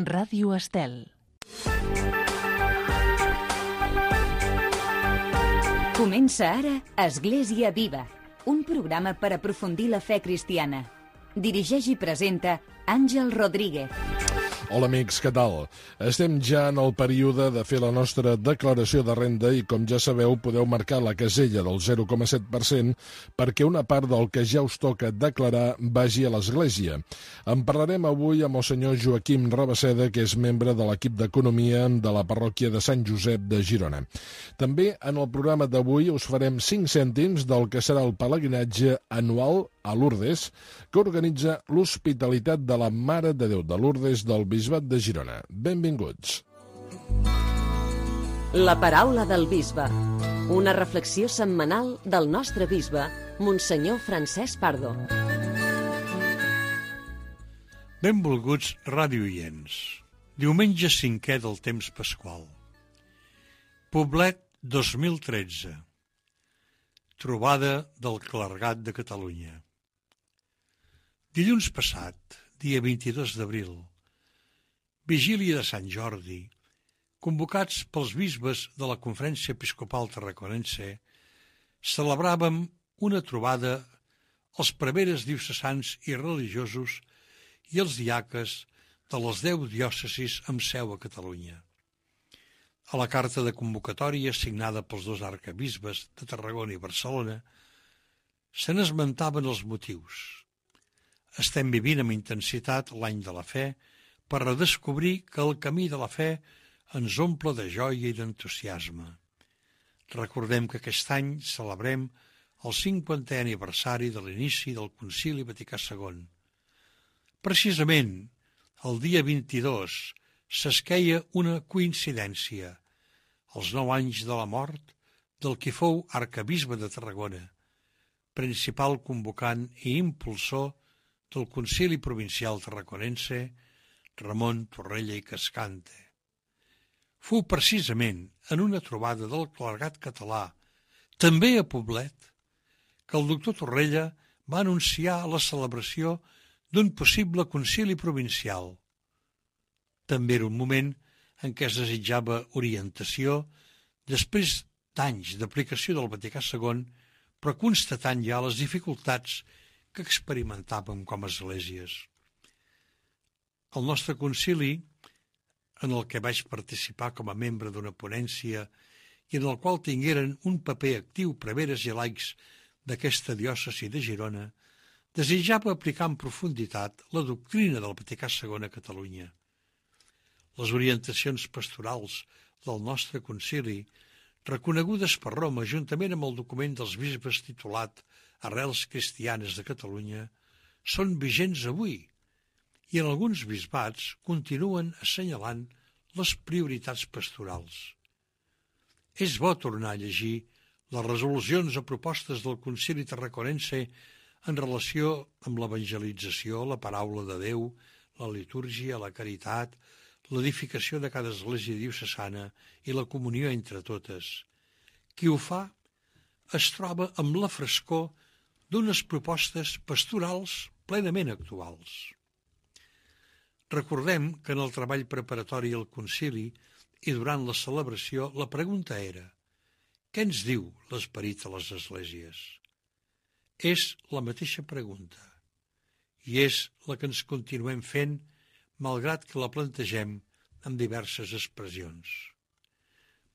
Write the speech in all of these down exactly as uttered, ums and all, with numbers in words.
Ràdio Estel. Comença ara Església Viva, un programa per aprofundir la fe cristiana. Dirigeix i presenta Àngel Rodríguez. Hola amics, què tal? Estem ja en el període de fer la nostra declaració de renda i, com ja sabeu, podeu marcar la casella del zero coma set per cent perquè una part del que ja us toca declarar vagi a l'Església. En parlarem avui amb el senyor Joaquim Rabaseda, que és membre de l'equip d'Economia de la parròquia de Sant Josep de Girona. També en el programa d'avui us farem cinc cèntims del que serà el pelegrinatge anual a Lourdes, que organitza l'Hospitalitat de la Mare de Déu de Lourdes del Bisbat de Girona. Benvinguts. La paraula del bisbe. Una reflexió setmanal del nostre bisbe, Monsenyor Francesc Pardo. Benvolguts radioients. Diumenge cinquè del temps pasqual. Poblet dos mil tretze. Trobada del clergat de Catalunya. Dilluns passat, dia vint-i-dos d'abril, vigília de Sant Jordi, convocats pels bisbes de la Conferència Episcopal Tarraconense, celebràvem una trobada als preveres diocesans i religiosos i els diaques de les deu diòcesis amb seu a Catalunya. A la carta de convocatòria signada pels dos arcabisbes de Tarragona i Barcelona se n'esmentaven els motius. Estem vivint amb intensitat l'any de la fe per redescobrir que el camí de la fe ens omple de joia i d'entusiasme. Recordem que aquest any celebrem el cinquantè aniversari de l'inici del Concili Vaticà segon. Precisament, el dia vint-i-dos s'esqueia una coincidència, els nou anys de la mort del qui fou arcabisbe de Tarragona, principal convocant i impulsor del Concili Provincial Tarraconense, Ramon Torrella i Cascante. Fou precisament en una trobada del clergat català, també a Poblet, que el doctor Torrella va anunciar la celebració d'un possible concili provincial. També era un moment en què es desitjava orientació després d'anys d'aplicació del Vaticà segon, però constatant ja les dificultats que experimentàvem com a esglésies. El nostre concili, en el que vaig participar com a membre d'una ponència i en el qual tingueren un paper actiu preveres i laics d'aquesta diòcesi de Girona, desitjava aplicar en profunditat la doctrina del Vaticà segon a Catalunya. Les orientacions pastorals del nostre concili, reconegudes per Roma juntament amb el document dels bisbes titulat Arrels cristianes de Catalunya, són vigents avui i en alguns bisbats continuen assenyalant les prioritats pastorals. És bo tornar a llegir les resolucions o propostes del Concili Tarraconense en relació amb l'evangelització, la paraula de Déu, la litúrgia, la caritat, l'edificació de cada església diocesana i la comunió entre totes. Qui ho fa es troba amb la frescor d'unes propostes pastorals plenament actuals. Recordem que en el treball preparatori al concili i durant la celebració la pregunta era: què ens diu l'esperit a les esglésies? És la mateixa pregunta i és la que ens continuem fent malgrat que la plantegem amb diverses expressions.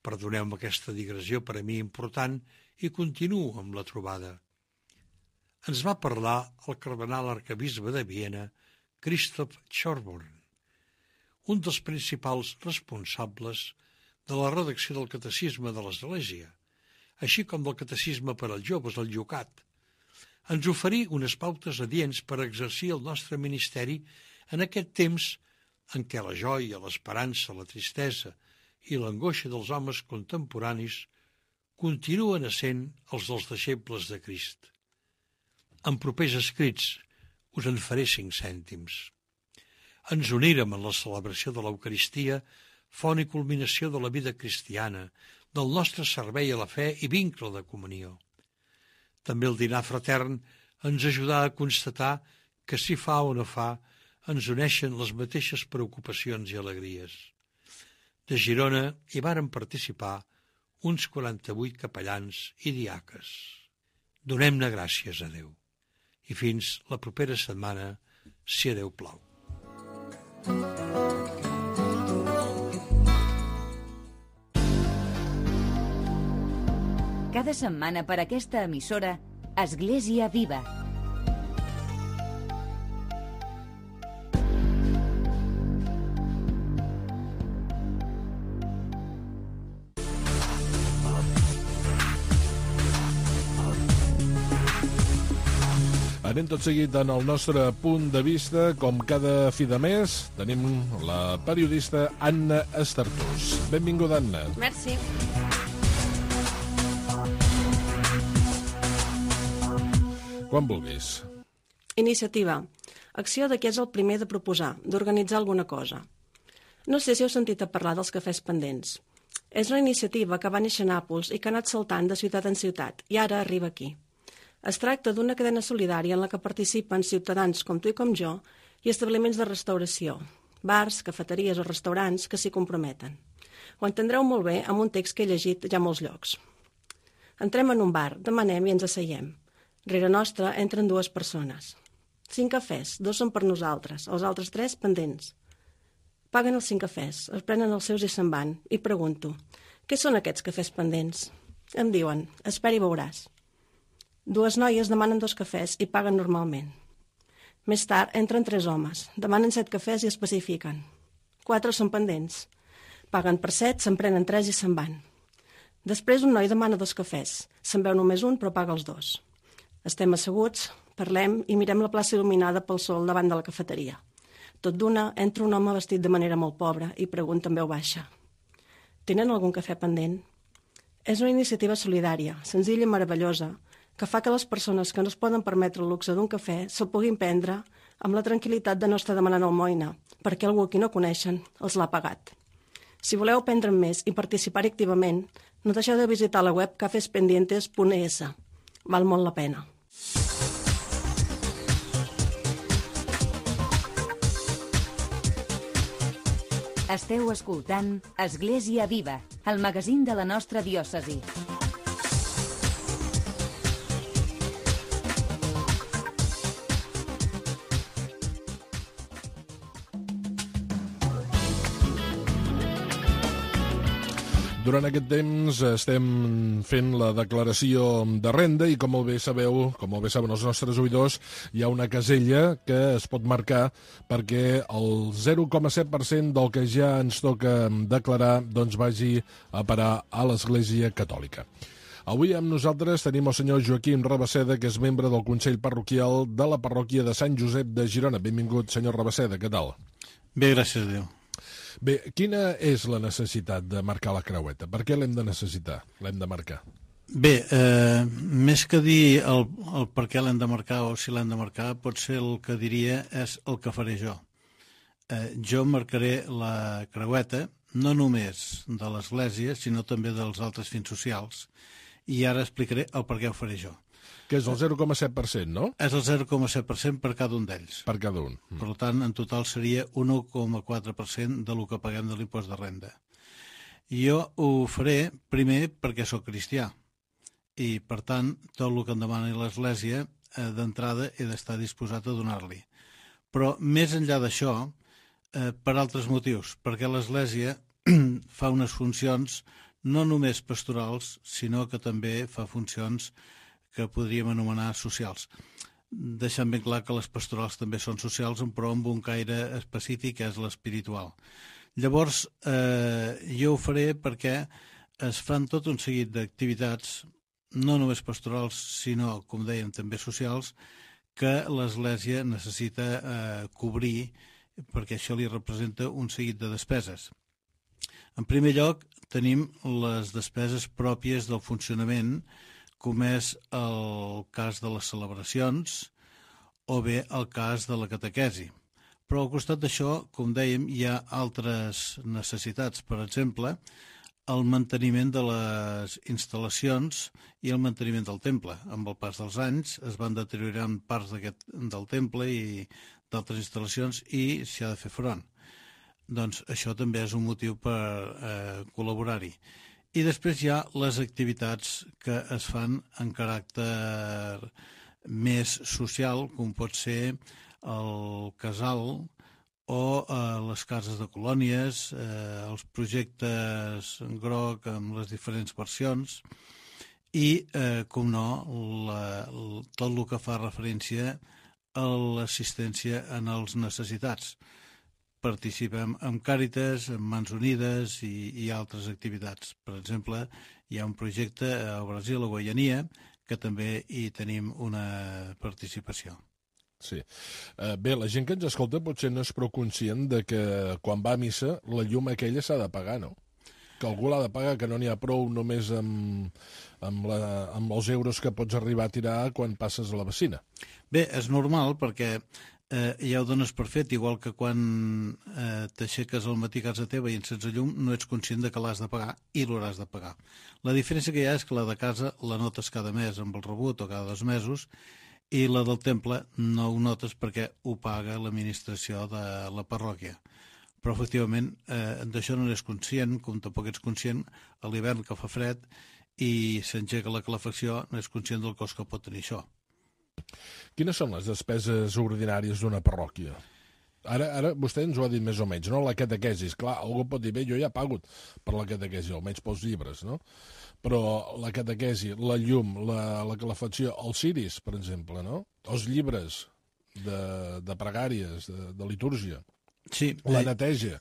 Perdoneu-me aquesta digressió per a mi important i continuo amb la trobada. Ens va parlar el cardenal arcabisbe de Viena, Christoph Schorborn, un dels principals responsables de la redacció del Catecisme de l'Església, així com del Catecisme per als joves, el Yucat. Ens oferí unes pautes adients per exercir el nostre ministeri en aquest temps en què la joia, l'esperança, la tristesa i l'angoixa dels homes contemporanis continuen essent els dels deixebles de Crist. En propers escrits us en faré cinc cèntims. Ens unírem en la celebració de l'Eucaristia, font i culminació de la vida cristiana, del nostre servei a la fe i vincle de comunió. També el dinar fratern ens ajudà a constatar que si fa o no fa ens uneixen les mateixes preocupacions i alegries. De Girona hi varen participar uns quaranta-vuit capellans i diaques. Donem-ne gràcies a Déu. I fins la propera setmana, si a Déu plau. Cada setmana per aquesta emissora, Església Viva. Anem tot seguit en el nostre punt de vista. Com cada fi de mes, tenim la periodista Anna Estartús. Benvinguda, Anna. Merci. Quan vulguis. Iniciativa. Acció de qui és el primer de proposar, d'organitzar alguna cosa. No sé si heu sentit a parlar dels cafès pendents. És una iniciativa que va néixer a Nàpols i que ha anat saltant de ciutat en ciutat, i ara arriba aquí. Es tracta d'una cadena solidària en la que participen ciutadans com tu i com jo i establiments de restauració, bars, cafeteries o restaurants que s'hi comprometen. Ho entendreu molt bé amb un text que he llegit ja a molts llocs. Entrem en un bar, demanem i ens asseiem. Rere nostra entren dues persones. Cinc cafès, dos són per nosaltres, els altres tres pendents. Paguen els cinc cafès, es prenen els seus i se'n van, i pregunto, què són aquests cafès pendents? Em diuen, espera i veuràs. Dues noies demanen dos cafès i paguen normalment. Més tard entren tres homes, demanen set cafès i especifiquen. Quatre són pendents. Paguen per set, se'n prenen tres i se'n van. Després un noi demana dos cafès. Se'n veu només un, però paga els dos. Estem asseguts, parlem i mirem la plaça il·luminada pel sol davant de la cafeteria. Tot d'una, entra un home vestit de manera molt pobra i pregunta en veu baixa. Tenen algun cafè pendent? És una iniciativa solidària, senzilla i meravellosa, que fa que les persones que no es poden permetre el luxe d'un cafè se'l puguin prendre amb la tranquil·litat de no estar demanant almoina, perquè algú a qui no coneixen els l'ha pagat. Si voleu aprendre'n més i participar activament, no deixeu de visitar la web cafespendientes punt es. Val molt la pena. Esteu escoltant Església Viva, el magazín de la nostra diòcesi. Durant aquest temps estem fent la declaració de renda i, com molt bé sabeu, com molt bé saben els nostres oïdors, hi ha una casella que es pot marcar perquè el zero coma set per cent del que ja ens toca declarar doncs vagi a parar a l'Església Catòlica. Avui amb nosaltres tenim el senyor Joaquim Rabaseda, que és membre del Consell Parroquial de la parròquia de Sant Josep de Girona. Benvingut, senyor Rabaseda, què tal? Bé, gràcies a Déu. Bé, quina és la necessitat de marcar la creueta? Per què l'hem de necessitar, l'hem de marcar? Bé, eh, més que dir el, el per què l'hem de marcar o si l'hem de marcar, potser el que diria és el que faré jo. Eh, jo marcaré la creueta no només de l'Església, sinó també dels altres fins socials, i ara explicaré el per què ho faré jo. Que és el zero coma set per cent, no? És el zero coma set per cent per cada un d'ells. Per cada un. Per tant, en total seria un un coma quatre per cent del que paguem de l'impost de renda. Jo ho faré primer perquè sóc cristià i, per tant, tot el que em demani l'Església, eh, d'entrada he d'estar disposat a donar-li. Però, més enllà d'això, eh, per altres motius, perquè l'Església fa unes funcions no només pastorals, sinó que també fa funcions que podríem anomenar socials. Deixant ben clar que les pastorals també són socials, però amb un caire específic, que és l'espiritual. Llavors, eh, jo ho faré perquè es fan tot un seguit d'activitats, no només pastorals, sinó, com dèiem, també socials, que l'Església necessita eh, cobrir, perquè això li representa un seguit de despeses. En primer lloc, tenim les despeses pròpies del funcionament, com és el cas de les celebracions o bé el cas de la catequesi. Però al costat d'això, com dèiem, hi ha altres necessitats. Per exemple, el manteniment de les instal·lacions i el manteniment del temple. Amb el pas dels anys es van deteriorant parts d'aquest del temple i d'altres instal·lacions i s'hi ha de fer front. Doncs això també és un motiu per eh, col·laborar-hi. I després hi ha les activitats que es fan en caràcter més social, com pot ser el casal o eh, les cases de colònies, eh, els projectes groc amb les diferents versions i, eh, com no, la, tot el que fa referència a l'assistència en els necessitats. Participem amb Càritas, amb Mans Unides i, i altres activitats. Per exemple, hi ha un projecte a Brasil, a Guaiania, que també hi tenim una participació. Sí. Uh, bé, la gent que ens escolta potser no és prou conscient de que quan va a missa la llum aquella s'ha de pagar, no? Que algú l'ha de pagar, que no n'hi ha prou només amb, amb, la, amb els euros que pots arribar a tirar quan passes a la vecina. Bé, és normal perquè eh, ja ho dones per fet, igual que quan eh, t'aixeques al matí a casa teva i encens el llum, no ets conscient de que l'has de pagar i l'hauràs de pagar. La diferència que hi ha és que la de casa la notes cada mes amb el rebut o cada dos mesos i la del temple no ho notes perquè ho paga l'administració de la parròquia. Però, efectivament, eh, d'això no n'és conscient, com tampoc ets conscient a l'hivern que fa fred i s'engega la calefacció, no és conscient del cost que pot tenir això. Quines són les despeses ordinàries d'una parròquia? Ara, ara vostè ens ho ha dit més o menys, no? La catequesis. Clar, algú pot dir, bé, jo ja he pagut per la catequesi, almenys pels llibres, no? Però la catequesi, la llum, la, la calefacció, els ciris, per exemple, no? Els llibres de, de pregàries, de, de litúrgia, sí, la eh... neteja.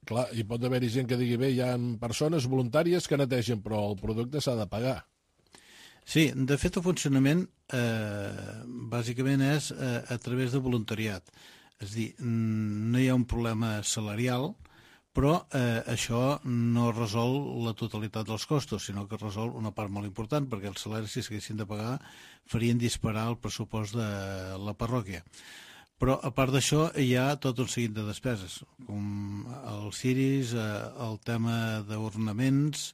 Clar, hi pot haver-hi gent que digui, bé, hi ha persones voluntàries que netegen, però el producte s'ha de pagar. Sí, de fet el funcionament eh, bàsicament és eh, a través de voluntariat. És a dir, no hi ha un problema salarial, però eh, això no resol la totalitat dels costos, sinó que resol una part molt important, perquè els salaris, si s'haguessin de pagar, farien disparar el pressupost de la parròquia. Però, a part d'això, hi ha tot un seguit de despeses, com els ciris, eh, el tema d'ornaments,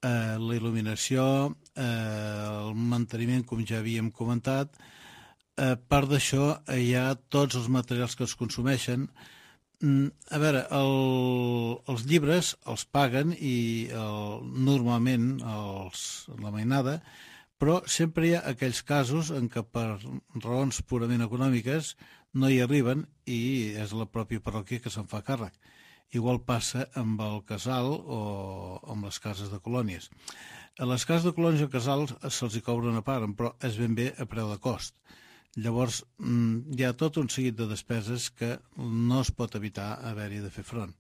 eh, la il·luminació, eh, el manteniment, com ja havíem comentat. A part d'això, hi ha tots els materials que es consumeixen. A veure, el, els llibres els paguen i el, normalment els, la mainada, però sempre hi ha aquells casos en què per raons purament econòmiques no hi arriben i és la pròpia parròquia que se'n fa càrrec. Igual passa amb el casal o amb les cases de colònies. A les cases de colònies o casals se'ls hi cobra una part, però és ben bé a preu de cost. Llavors, hi ha tot un seguit de despeses que no es pot evitar haver-hi de fer front.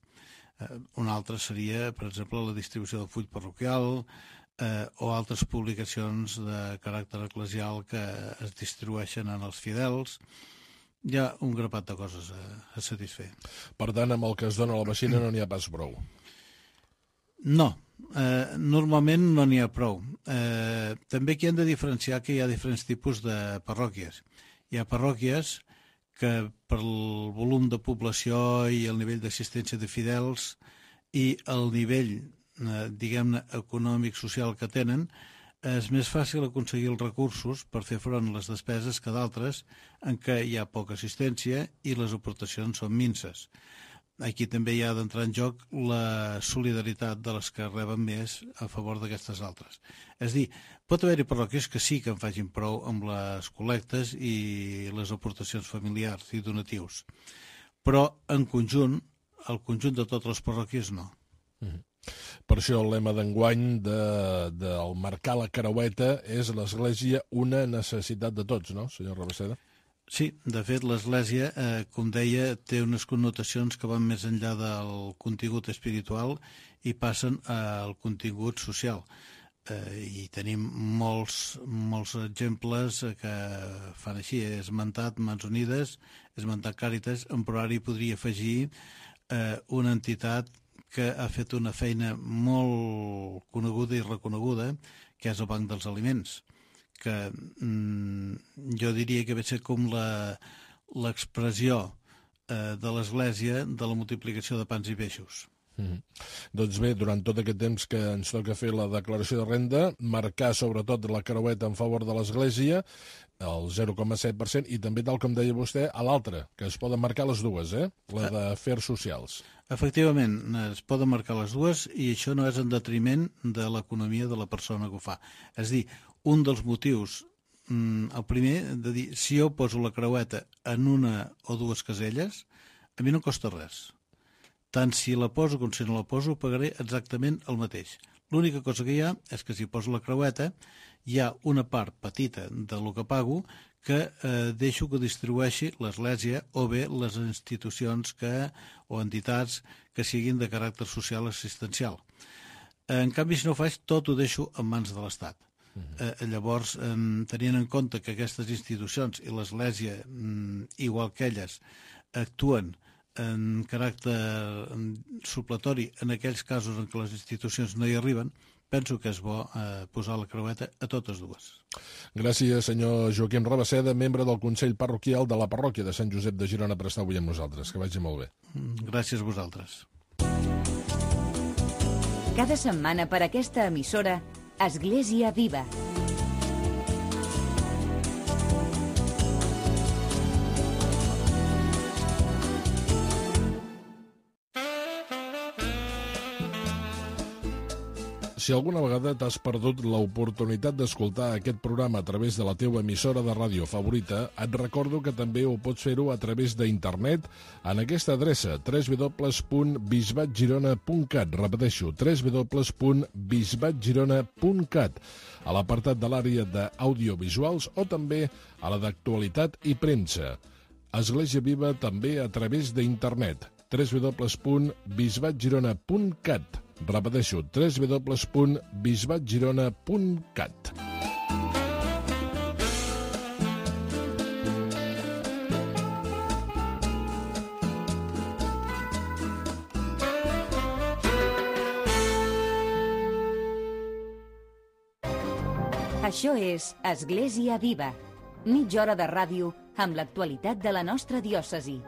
Una altra seria, per exemple, la distribució del full parroquial eh, o altres publicacions de caràcter eclesial que es distribueixen en els fidels. Hi ha un grapat de coses a, a satisfer. Per tant, amb el que es dona a la vecina no n'hi ha pas prou. No, eh, normalment no n'hi ha prou. Eh, també aquí hem de diferenciar que hi ha diferents tipus de parròquies. Hi ha parròquies que per el volum de població i el nivell d'assistència de fidels i el nivell, eh, diguem-ne, econòmic, social que tenen, és més fàcil aconseguir els recursos per fer front a les despeses que d'altres en què hi ha poca assistència i les aportacions són minces. Aquí també hi ha d'entrar en joc la solidaritat de les que reben més a favor d'aquestes altres. És a dir, pot haver-hi parròquies que sí que en facin prou amb les col·lectes i les aportacions familiars i donatius, però en conjunt, el conjunt de totes les parròquies no. Mm-hmm. Per això el lema d'enguany de, de el marcar la creueta és l'Església una necessitat de tots, no, senyor Rabaseda? Sí, de fet, l'Església, eh, com deia, té unes connotacions que van més enllà del contingut espiritual i passen al contingut social. Eh, I tenim molts, molts exemples que fan així. He esmentat Mans Unides, he esmentat Càritas, en Proari podria afegir eh, una entitat que ha fet una feina molt coneguda i reconeguda, que és el Banc dels Aliments, que mm, jo diria que ve ser com l'expressió eh, de l'Església de la multiplicació de pans i peixos. Mm. Doncs bé, durant tot aquest temps que ens toca fer la declaració de renda, marcar sobretot la creueta en favor de l'Església, el zero coma set per cent, i també, tal com deia vostè, a l'altra, que es poden marcar les dues, eh? La d'afers socials. Efectivament, es poden marcar les dues i això no és en detriment de l'economia de la persona que ho fa. És a dir, un dels motius, el primer, de dir, si jo poso la creueta en una o dues caselles, a mi no costa res. Tant si la poso com si no la poso, pagaré exactament el mateix. L'única cosa que hi ha és que si poso la creueta hi ha una part petita del que pago que eh, deixo que distribueixi l'Església o bé les institucions que, o entitats que siguin de caràcter social assistencial. En canvi, si no ho faig, tot ho deixo en mans de l'Estat. Uh-huh. Eh, llavors, eh, tenint en compte que aquestes institucions i l'Església, mm, igual que elles, actuen en caràcter supletori en aquells casos en què les institucions no hi arriben, penso que és bo eh, posar la creueta a totes dues. Gràcies, senyor Joaquim Rabasseda, membre del Consell Parroquial de la Parròquia de Sant Josep de Girona, per estar avui amb nosaltres. Que vagi molt bé. Gràcies a vosaltres. Cada setmana per aquesta emissora, Església Viva. Si alguna vegada t'has perdut l'oportunitat d'escoltar aquest programa a través de la teva emissora de ràdio favorita, et recordo que també ho pots fer-ho a través d'internet en aquesta adreça, w w w punt bisbat girona punt cat. Repeteixo, w w w punt bisbat girona punt cat, a l'apartat de l'àrea d'audiovisuals o també a la d'actualitat i premsa. Església Viva també a través d'internet, w w w punt bisbat girona punt cat. Repeteixo, w w w punt bisbat girona punt cat. Això és Església Viva, mitja hora de ràdio amb l'actualitat de la nostra diòcesi.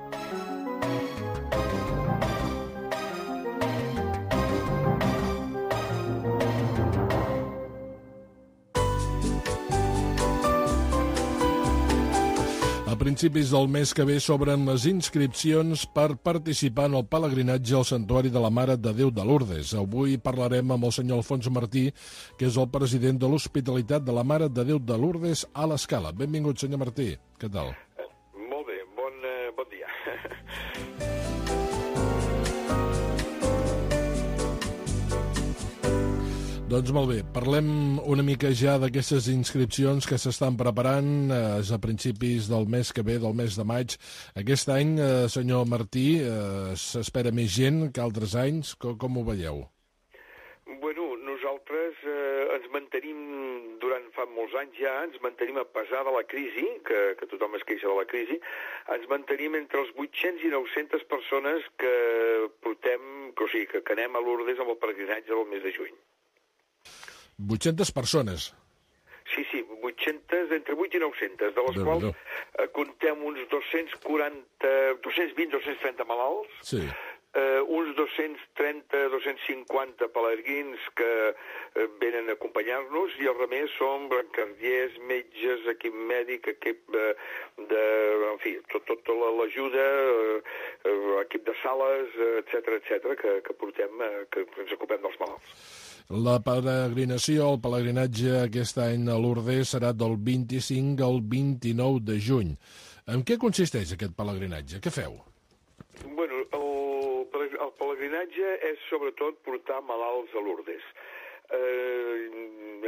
A principis del mes que ve s'obren les inscripcions per participar en el pelegrinatge al Santuari de la Mare de Déu de Lourdes. Avui parlarem amb el senyor Alfons Martí, que és el president de l'Hospitalitat de la Mare de Déu de Lourdes a l'Escala. Benvingut, senyor Martí. Què tal? Molt bé, bon, uh, bon dia. Doncs molt bé, parlem una mica ja d'aquestes inscripcions que s'estan preparant eh, a principis del mes que ve, del mes de maig. Aquest any, eh, senyor Martí, eh, s'espera més gent que altres anys. Com, com ho veieu? Bueno, nosaltres eh, ens mantenim, durant fa molts anys ja, ens mantenim a pesar de la crisi, que, que tothom es queixa de la crisi, ens mantenim entre els vuit-cents i nou-centes persones que portem, que, o sigui, que, que anem a Lourdes amb el pelegrinatge del mes de juny. vuit-centes persones. Sí, sí, vuit-centes, entre vuit i nou-centes, de les Déu quals Déu. eh, comptem uns dos-cents quaranta, dos-cents vint, dos-cents trenta malalts, Sí. eh, uns dos-cents trenta, dos-cents cinquanta pelegrins que eh, venen a acompanyar-nos, i el remés són brancardiers, metges, equip mèdic, equip eh, de... en fi, tot, tota l'ajuda, eh, equip de sales, etcètera, etcètera, que, que portem, eh, que ens ocupem dels malalts. La peregrinació, el pelegrinatge aquest any a Lourdes serà del vint-i-cinc al vint-i-nou de juny. En què consisteix aquest pelegrinatge? Què feu? Bueno, el, el pelegrinatge és sobretot portar malalts a Lourdes. Eh,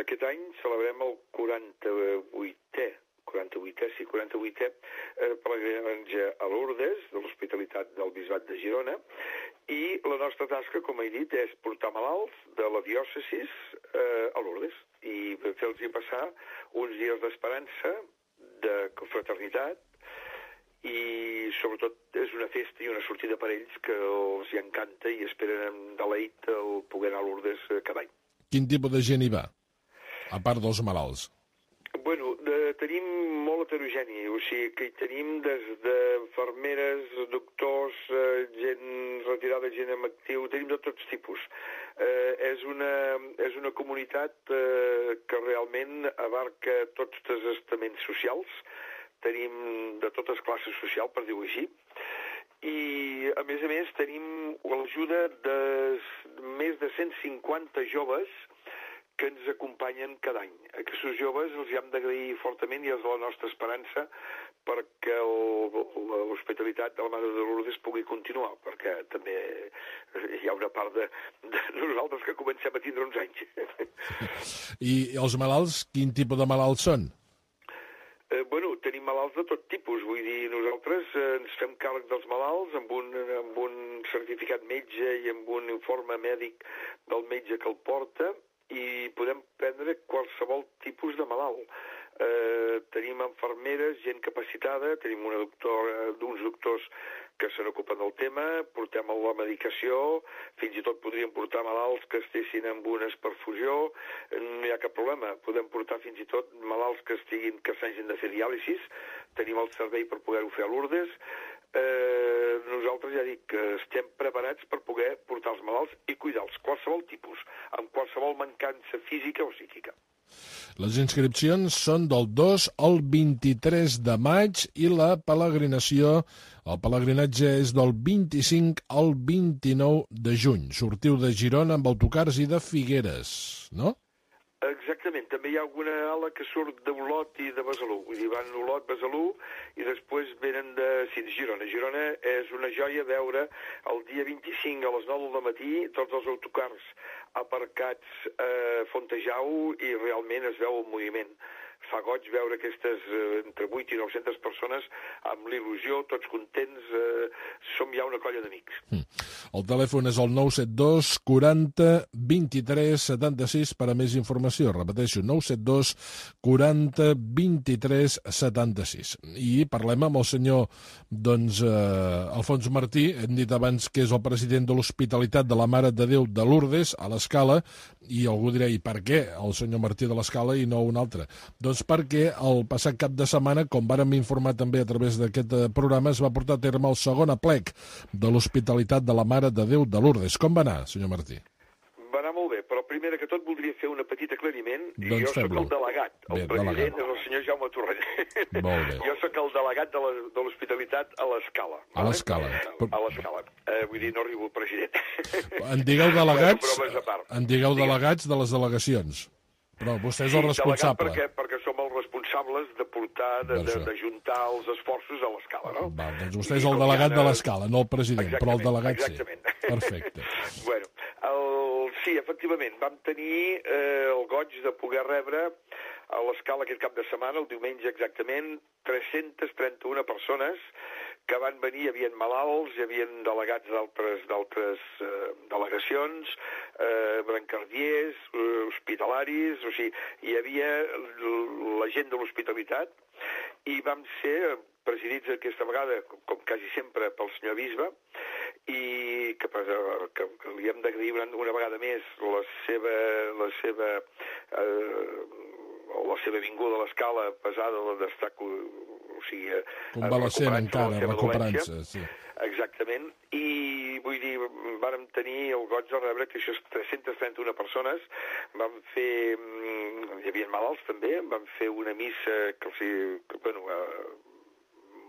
aquest any celebrem el quaranta-vuitè, quaranta-vuitè, sí, quaranta-vuitè eh, pelegrinatge a Lourdes, de l'Hospitalitat del Bisbat de Girona, i la nostra tasca, com he dit, és portar malalts de la diòcesis eh, a Lourdes i fer-los passar uns dies d'esperança, de fraternitat, i sobretot és una festa i una sortida per ells que els hi encanta i esperen amb deleit el poder anar a Lourdes cada any. Quin tipus de gent hi va, a part dels malalts? Bueno, de, tenim molt heterogeni, o sigui que hi tenim des de fermeres, doctors, eh, gent retirada, gent tenim actiu, tenim de tots tipus. Eh, és, una, és una comunitat eh, que realment abarca tots els estaments socials, tenim de totes classes socials, per dir-ho així, i a més a més tenim l'ajuda de més de cent cinquanta joves que ens acompanyen cada any. Aquests joves els hi hem d'agrair fortament i és la nostra esperança perquè l'hospitalitat de la Mare de Lourdes pugui continuar, perquè també hi ha una part de, de nosaltres que comencem a tindre uns anys. I els malalts, quin tipus de malalts són? Eh, bueno, tenim malalts de tot tipus, vull dir, nosaltres eh, ens fem càrrec dels malalts amb un, amb un certificat metge i amb un informe mèdic del metge que el porta, i podem prendre qualsevol tipus de malalt. Eh, tenim infermeres, gent capacitada, tenim una doctora, uns doctors que se n'ocupen del tema, portem la medicació, fins i tot podríem portar malalts que estessin amb una perfusió, no hi ha cap problema. Podem portar fins i tot malalts que estiguin, que s'hagin de fer diàlisis, tenim el servei per poder-ho fer a Lourdes. Eh, nosaltres ja dic que estem preparats per poder portar els malalts i cuidar-los, qualsevol tipus, amb qualsevol mancança física o psíquica. Les inscripcions són del dos al vint-i-tres de maig i la peregrinació, el pelegrinatge és del vint-i-cinc al vint-i-nou de juny. Sortiu de Girona amb autocars i de Figueres, no? Exactament, també hi ha alguna ala que surt d'Olot i de Besalú, vull dir, van Olot, Besalú, i després venen de, sí, de Girona. Girona és una joia veure el dia vint-i-cinc a les nou del matí tots els autocars aparcats a Fontejau i realment es veu el moviment. Fa goig veure aquestes eh, entre vuit i nou-centes persones amb l'il·lusió, tots contents, eh, som ja una colla d'amics. Mm. El telèfon és el nou set dos quaranta vint-i-tres setanta-sis per a més informació. Repeteixo, nou set dos quaranta vint-i-tres setanta-sis. I parlem amb el senyor doncs, eh, Alfons Martí, hem dit abans que és el president de l'Hospitalitat de la Mare de Déu de Lourdes, a l'Escala, i algú dirà, i per què el senyor Martí de l'Escala i no un altre? Doncs perquè el passat cap de setmana, com vàrem informar també a través d'aquest programa, es va portar a terme el segon aplec de l'Hospitalitat de la Mare de Déu de Lourdes. Com va anar, senyor Martí? Va anar molt bé, però primer que tot voldria fer una petita aclariment. Doncs jo sóc el delegat, el bé, president delegat. és el senyor Jaume Torrent. Molt bé. Jo sóc el delegat de la- de l'Hospitalitat a l'Escala. A l'Escala. A l'Escala. Eh, vull dir, no arribo el president. En digueu delegats, Bueno, bromes a part. en digueu Digues. delegats de les delegacions. Però vostè és el Sí, responsable. delegat perquè, perquè som els responsables de portar, de, de, D'això. de juntar els esforços a l'Escala, no? Va, doncs vostè I és el com delegat hi ha- de l'Escala, no el president, però el Exactament, delegat sí. exactament. Perfecte. Bueno, el, sí, efectivament, vam tenir eh, el goig de poder rebre a l'Escala aquest cap de setmana, el diumenge exactament, tres-centes trenta-una persones que van venir, hi havia malalts, hi havia delegats d'altres d'altres eh, delegacions, eh, brancardiers, eh, hospitalaris, o sigui, hi havia l- la gent de l'hospitalitat, i vam ser presidits aquesta vegada, com, com quasi sempre, pel senyor Bisbe, i que, que, que li hem d'agrair una, una vegada més la seva, la seva, eh, la seva vinguda a l'Escala pesada d'estar, o sigui, Convalescent encara, de la seva recuperant-se. dolència. Sí. Exactament, i vull dir, vàrem tenir el goig de rebre que això és tres-centes trenta-una persones, vam fer, mm, hi havia malalts també, vam fer una missa que, o sigui, que bueno, eh,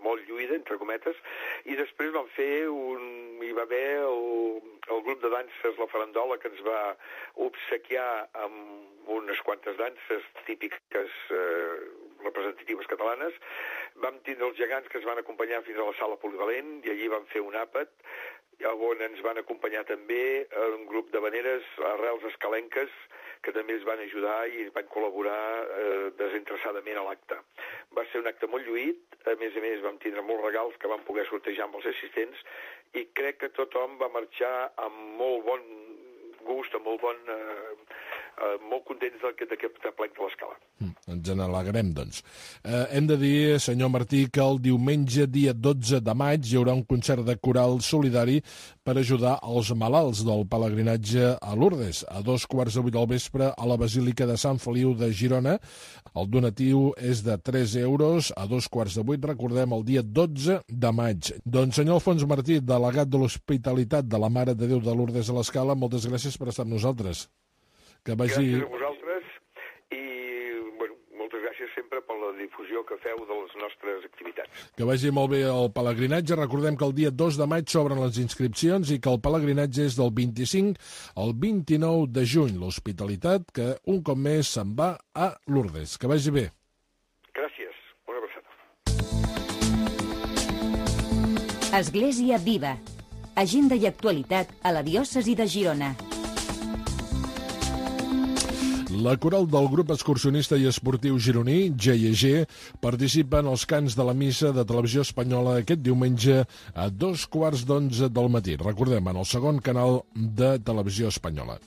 molt lluïda, entre cometes, i després vam fer un... hi va haver el, el grup de danses La Farandola, que ens va obsequiar amb unes quantes danses típiques eh, representatives catalanes. Vam tindre els gegants que ens van acompanyar fins a la sala polivalent, i allí vam fer un àpat, on ens van acompanyar també un grup de veneres arrels escalenques, que també ens van ajudar i van col·laborar eh, desinteressadament a l'acte. Va ser un acte molt lluït, a més a més vam tindre molts regals que vam poder sortejar amb els assistents, i crec que tothom va marxar amb molt bon gust, amb molt bon... Eh, eh, molt contents d'aquest plec de l'Escala. Mm. ens n'alegrem, doncs. Eh, hem de dir, senyor Martí, que el diumenge, dia dotze de maig, hi haurà un concert de coral solidari per ajudar els malalts del pelegrinatge a Lourdes, a dos quarts de vuit del vespre a la Basílica de Sant Feliu de Girona. El donatiu és de tres euros a dos quarts de vuit, recordem, el dia dotze de maig. Doncs, senyor Alfons Martí, delegat de l'Hospitalitat de la Mare de Déu de Lourdes a l'Escala, moltes gràcies per estar amb nosaltres. Que vagi... Gràcies a vosaltres i, bueno, moltes gràcies sempre per la difusió que feu de les nostres activitats. Que vagi molt bé el pelegrinatge. Recordem que el dia dos de maig s'obren les inscripcions i que el pelegrinatge és del vint-i-cinc al vint-i-nou de juny. L'Hospitalitat, que un cop més se'n va a Lourdes. Que vagi bé. Gràcies. Una abraçada. Església Viva. Agenda i actualitat a la diòcesi de Girona. La coral del grup excursionista i esportiu gironí, G I G, participa en els cants de la missa de Televisió Espanyola aquest diumenge a dos quarts d'onze del matí. Recordem, en el segon canal de Televisió Espanyola.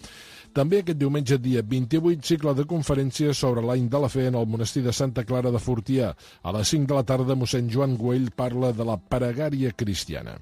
També aquest diumenge, dia vint-i-vuit, cicle de conferències sobre l'any de la fe en el monestir de Santa Clara de Fortià. A les cinc de la tarda, mossèn Joan Güell parla de la pregària cristiana.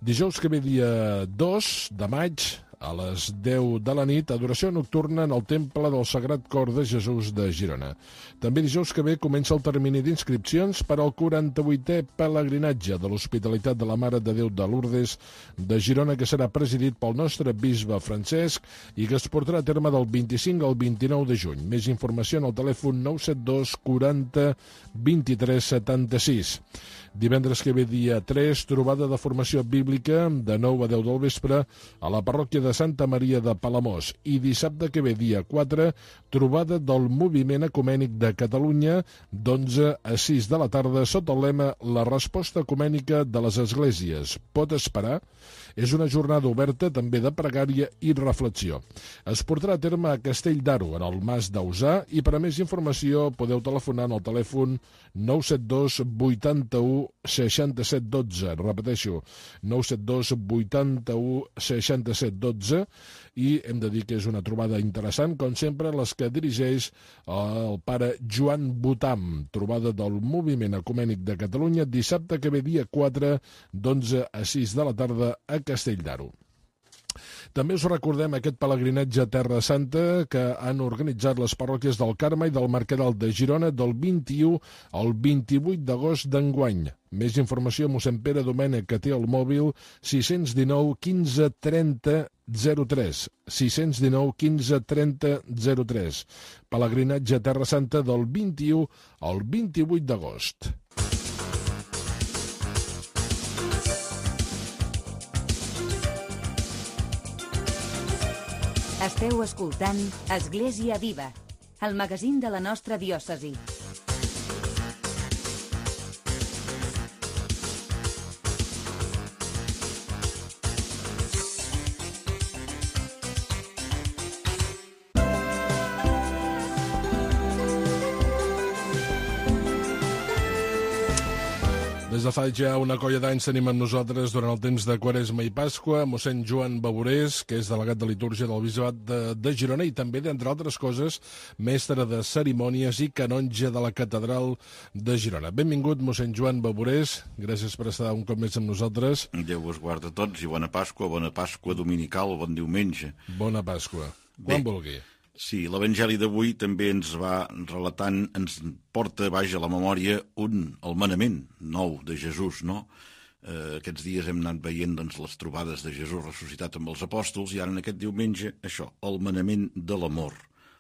Dijous que ve, dia dos de maig, a les deu de la nit, adoració nocturna en el Temple del Sagrat Cor de Jesús de Girona. També dijous que ve comença el termini d'inscripcions per al quaranta-vuitè pelegrinatge de l'Hospitalitat de la Mare de Déu de Lourdes de Girona, que serà presidit pel nostre bisbe Francesc i que es portarà a terme del vint-i-cinc al vint-i-nou de juny. Més informació en el telèfon nou set dos quaranta vint-i-tres setanta-sis. Divendres que ve, dia tres, trobada de formació bíblica de nou a deu del vespre a la parròquia de Santa Maria de Palamós. I dissabte que ve, dia quatre, trobada del Moviment Ecumènic de Catalunya d'onze a sis de la tarda sota el lema La resposta ecumènica de les esglésies pot esperar? És una jornada oberta també de pregària i reflexió. Es portarà a terme a Castell d'Aro, en el Mas d'Ausà, i per a més informació podeu telefonar al telèfon nou set dos vuitanta-u seixanta-set dotze. Repeteixo, nou set dos vuitanta-u seixanta-set dotze, i hem de dir que és una trobada interessant, com sempre, les que dirigeix el pare Joan Botam. Trobada del Moviment Ecumènic de Catalunya, dissabte que ve, dia quatre, d'onze a sis de la tarda a Castell d'Aro. També us recordem aquest pelegrinatge a Terra Santa que han organitzat les parròquies del Carme i del Mercadal de Girona del vint-i-u al vint-i-vuit d'agost d'enguany. Més informació a mossèn Pere Domènech, que té el mòbil sis cents dinou quinze trenta zero tres. sis cents dinou quinze trenta zero tres. Pelegrinatge a Terra Santa del vint-i-u al vint-i-vuit d'agost. Esteu escoltant Església Viva, el magazín de la nostra diòcesi. Des de fa ja una colla d'anys tenim amb nosaltres durant el temps de Quaresma i Pasqua mossèn Joan Baborés, que és delegat de litúrgia del Bisbat de, de Girona i també, d'entre altres coses, mestre de cerimònies i canonge de la Catedral de Girona. Benvingut, mossèn Joan Baborés. Gràcies per estar un cop més amb nosaltres. Déu us guarda a tots i bona Pasqua, bona Pasqua dominical, bon diumenge. Bona Pasqua. Quan vulgui. Sí, l'Evangeli d'avui també ens va relatant, ens porta baix a la memòria un, el manament nou de Jesús, no? Eh, aquests dies hem anat veient doncs, les trobades de Jesús ressuscitat amb els apòstols i ara en aquest diumenge, això, el manament de l'amor.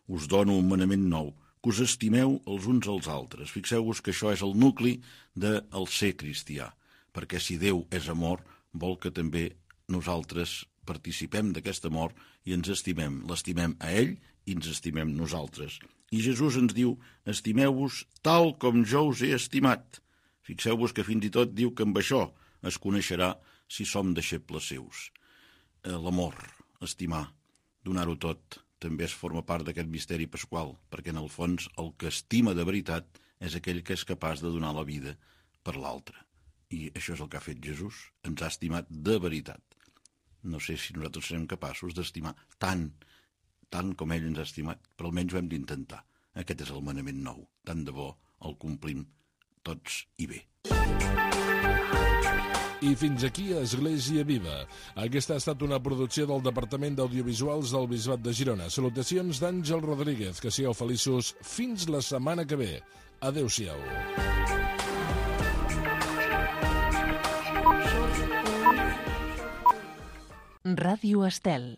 Us dono un manament nou, que us estimeu els uns als altres. Fixeu-vos que això és el nucli del ser cristià, perquè si Déu és amor, vol que també nosaltres participem d'aquest amor i ens estimem. L'estimem a ell i ens estimem nosaltres. I Jesús ens diu, estimeu-vos tal com jo us he estimat. Fixeu-vos que fins i tot diu que amb això es coneixerà si som deixebles seus. L'amor, estimar, donar-ho tot, també es forma part d'aquest misteri pasqual, perquè en el fons el que estima de veritat és aquell que és capaç de donar la vida per l'altre. I això és el que ha fet Jesús, ens ha estimat de veritat. No sé si nosaltres serem capaços d'estimar tant, tant com ell ens ha estimat, però almenys ho hem d'intentar. Aquest és el manament nou. Tant de bo el complim tots i bé. I fins aquí Església Viva. Aquesta ha estat una producció del Departament d'Audiovisuals del Bisbat de Girona. Salutacions d'Àngel Rodríguez. Que sigueu feliços fins la setmana que ve. Adéu-siau. Ràdio Estel.